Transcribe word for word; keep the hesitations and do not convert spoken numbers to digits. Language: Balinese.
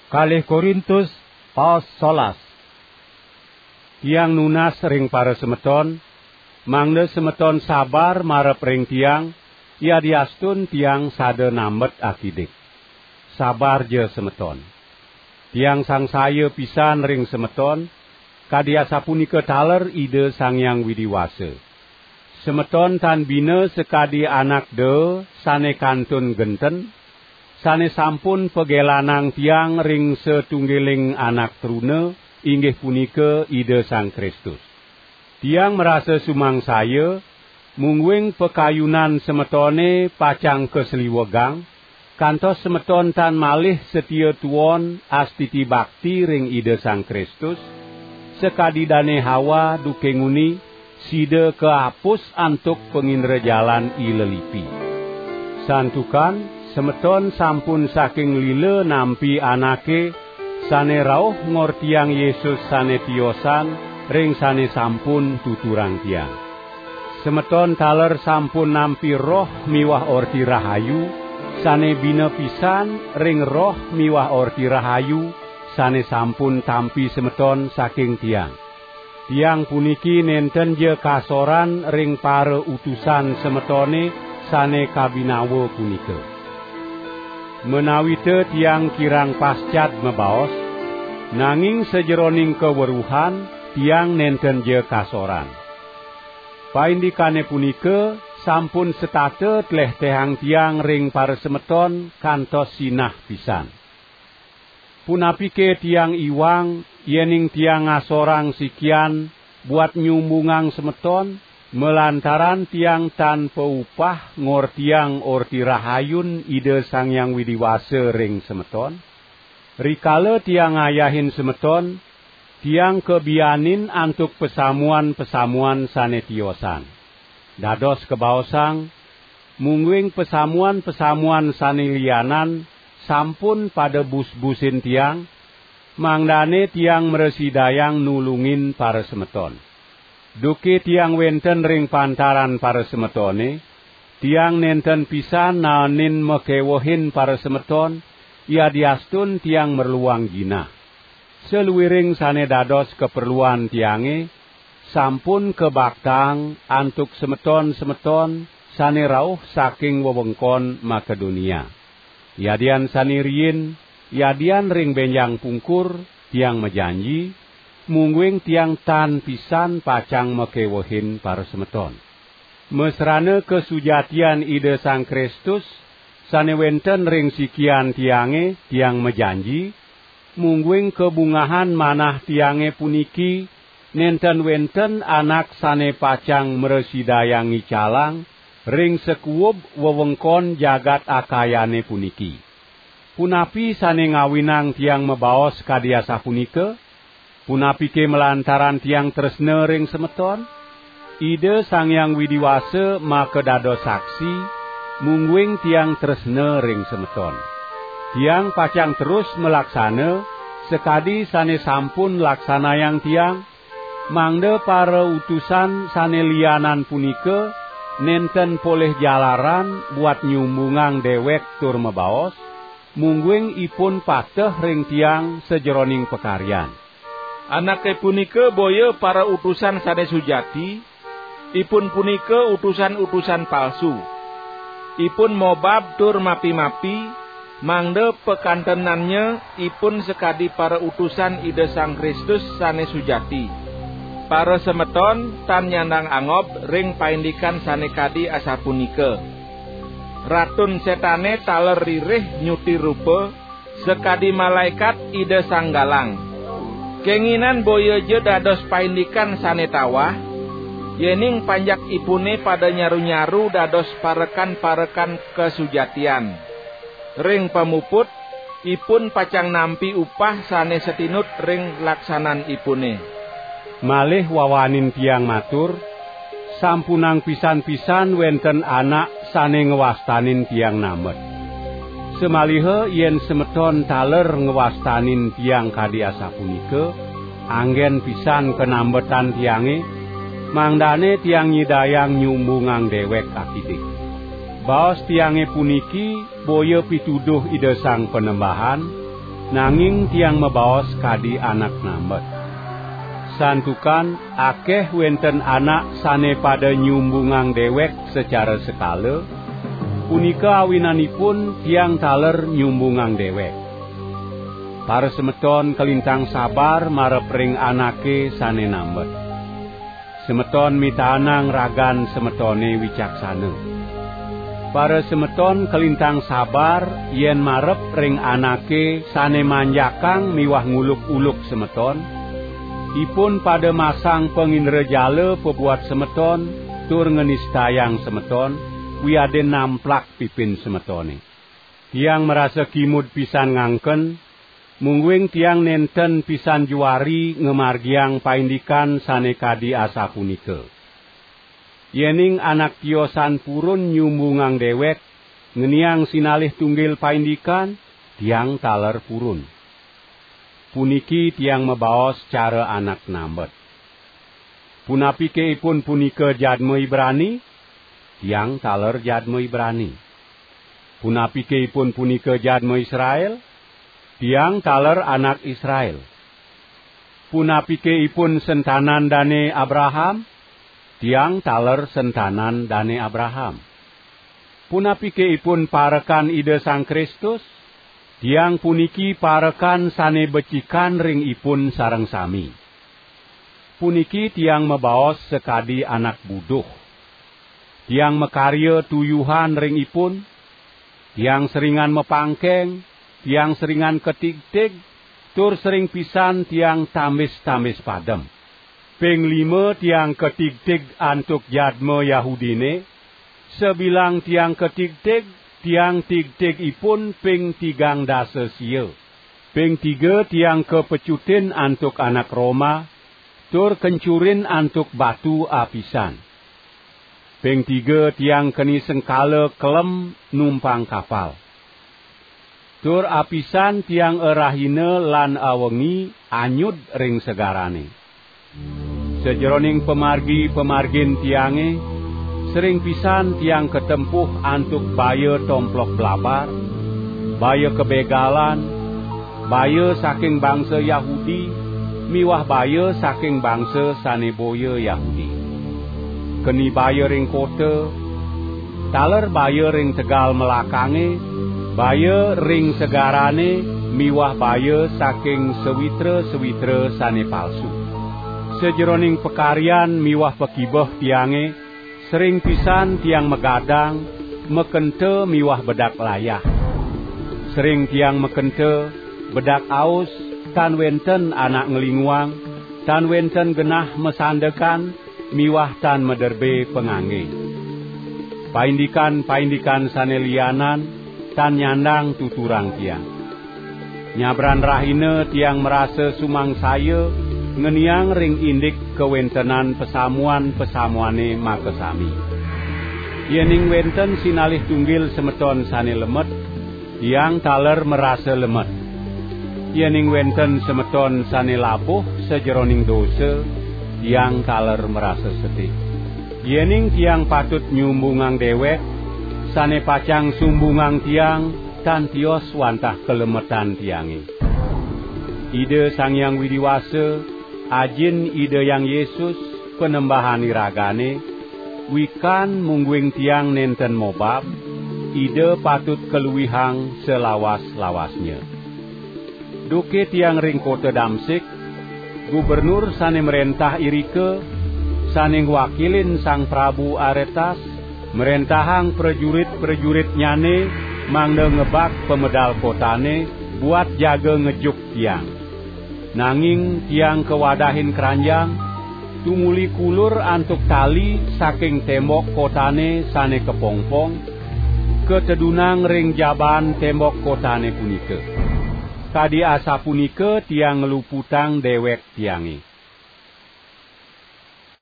Kalih Korintus, paos solas. Tiang nunas ring parasemeton, mangda semeton sabar marep ring tiang, yadiastun tiang sada nambet akidik. Sabar ja semeton. Tiang sangsaya pisan ring semeton, kadi asapunika taler Ida Sang Hyang Widi Wasa. Semeton tan bina sakadi anak daa sane kantun genten, sane sampun pagelanang tiang ring satunggiling anak truna, inggih punika Ida Sang Kristus. Tiang marasa sumangsaya, mungguing pakayunan semetone pacang kasliwegang, kantos semeton tan malih satia tuon astiti bakti ring Ida Sang Kristus, sakadi Dane Hawa duke nguni, sida kaapus antuk pangindrajalan i lelipi. Santukan semeton sampun saking lila nampi anake sane rauh ngortiang Yesus sane tiosan ring sane sampun tuturang tiang. Semeton taler sampun nampi roh miwah orti rahayu, sane bina pisan ring roh miwah orti rahayu sane sampun tampi semeton saking tiang. Tiang puniki nenten ja kasoran ring parautusan semetone sane kabinawa punika. Menawita tiang kirang pascad mabaos, nanging sajeroning kaweruhan tiang nenten ja kasoran. Paindikane punika sampun setata tlehtehang tiang ring parasemeton kantos sinah pisan. Punapike tiang iwang, yening tiang ngasorang sikian buat nyumbungang semeton, malantaran tiang tan paupah ngortiang Orti Rahayun Ida Sang Hyang Widi Wasa ring semeton? Rikala tiang ngayahin semeton, tiang kabianin antuk pasamuan-pasamuan sane tiosan. Dados kabaosang, mungguing pasamuan-pasamuan sane lianan sampun pada busbusin tiang, mangdane tiang mrasidayang nulungin parasemeton. Duke tiang wenten ring pantaran parasemetone, tiang nenten pisan naenin makewehin parasemeton, yadiastun tiang merluang jinah. Saluiring sane dados kaperluan tiange, sampun kabaktaang antuk semeton-semeton sane rauh saking wewengkon Makedonia. Yadian sane riin, yadian ring benjang pungkur, tiang majanji, mungguing tiang tan pisan pacang makewehin parasemeton. Masrana kasujatian Ida Sang Kristus sane wenten ring sikian tiange, tiang majanji, mungguing kabungahan manah tiange puniki nenten wenten anak sane pacang mrasidayang ngicalang ring sakuub wewengkon jagat Akayane puniki. Punapi sane ngawinang tiang mabaos kadi asapunika? Punapike malantaran tiang tresna ring semeton? Ida Sang Hyang Widi Wasa makadados saksi, mungguing tiang tresna ring semeton. Tiang pacang terus malaksana sakadi sane sampun laksanayang tiang, mangda parautusan sane lianan punika nenten polih jalaran buat nyumbungang dewek tur mabaos, mungguing ipun pateh ring tiang sajeroning pakaryan. Anake punika boya parautusan sane sujati, ipun punika utusan-utusan palsu. Ipun mobab tur mapi-mapi, mangda pakantenannya ipun sakadi parautusan Ida Sang Kristus sane sujati. Parasemeton tan nyandang angob ring paindikan sane kadi asapunika. Ratun Setane taler ririh nyuti rupa, sakadi malaekat Ida Sang Galang. Kenginan boya ja dados paindikan sane tawah, yening panjakipune pada nyaru-nyaru dados parekan-parekan kasujatian. Ring pamuput, ipun pacang nampi upah sane satinut ring laksananipune. Malih wawanin tiang matur, sampunang pisan-pisan wenten anak sane ngwastanin tiang nambet. Samaliha yen semeton taler ngwastanin tiang kadi asapunika, anggen pisan kanambetan tiange, mangdane tiang nyidayang nyumbungang dewek akidik. Baos tiange puniki boya pituduh Ida Sang Panembahan, nanging tiang mabaos kadi anak nambet. Santukan akeh wenten anak sane pada nyumbungang dewek secara sekala, punika awinanipun tiang taler nyumbungang dewek. Parasemeton kalintang sabar marep ring anake sane nambet. Semeton mitaenang ragan semetone wicaksana. Parasemeton kalintang sabar yen marep ring anake sane manjakang miwah nguluk-uluk semeton, ipun pada masang pangindrajala pabuat semeton tur nganistayang semeton, wiadin namplak pipin semetone. Tiang marasa kimud pisan ngangken, mungguing tiang nenten pisan juari ngamargiang paindikan sane kadi asapunika. Yening anak tiosan purun nyumbungang dewek, ngeniang sinalih tunggil paindikan, tiang taler purun. Puniki tiang mabaos cara anak nambet. Punapike ipun punika jadma Ibrani? Tiang taler jadma Ibrani. Punapike ipun punika jadma Israel? Tiang taler anak Israel. Punapike ipun sentanan dane Abraham? Tiang taler sentanan dane Abraham. Punapike ipun parekan Ida Sang Kristus? Tiang puniki parekan sane becikan ring ipun sareng sami. Puniki tiang mabaos sakadi anak buduh. Tiang makarya tuyuhan ring ipun. Tiang seringan mapangkeng, tiang seringan katigtig, tur sering pisan tiang tambis-tambis padem. Ping lima tiang katigtig antuk jadma Yahudine, sabilang tiang katigtig, tiang tigtig ipun ping tigang dasa sia. Ping tiga tiang kapecutin antuk anak Roma, tur kencurin antuk batu apisan. Ping tiga tiang keni sengkala kelem numpang kapal. Tur apisan tiang arahina lan awengi anyud ring segarane. Sajeroning pamargi-pamargin tiange, sering pisan tiang katempuh antuk baya tomplok blabar, baya kabegalan, baya saking bangsa Yahudi, miwah baya saking bangsa sane boya Yahudi. Keni baya ring kota, taler baya ring tegal melakange, baya ring segarane, miwah baya saking sawitra-sawitra sane palsu. Sajeroning pakaryan miwah pakibeh tiange, sering pisan tiang magadang, makenta miwah bedak layah. Sering tiang makenta, bedak aus, tan wenten anak nglinguang, tan wenten genah masandekan, miwah tan maderbe pangangge. Paindikan-paindikan sane lianan tan nyandang tuturang tiang. Nyabran rahina tiang marasa sumangsaya ngeniang ring indik kawentenan pasamuan-pasamuane makasami. Yening wenten sinalih tunggil semeton sane lemet, tiang taler marasa lemet. Yening wenten semeton sane labuh sajeroning dosa, tiang taler marasa sedih. Yening tiang patut nyumbungang dewek, sane pacang sumbungang tiang tan tios wantah kalemetan tiange. Ida Sang Hyang Widi Wasa, Ajin Ida Hyang Yesus, Panembahan iragane, wikan mungguing tiang nenten mobab, Ida patut kaluihang salawas-lawasnya. Duke tiang ring kota Damsik, gubernur sane mrentah irika, sane ngwakilin Sang Prabu Aretas, mrentahang prajurit-prajuritnyane mangda ngebak pamedal kotane buat jaga ngejuk tiang. Nanging tiang kawadahin kranjang, tumuli kulur antuk tali saking tembok kotane sane kapongpong, katedunang ring jaban tembok kotane punika. Kadi asapunika tiang ngluputang dewek tiange.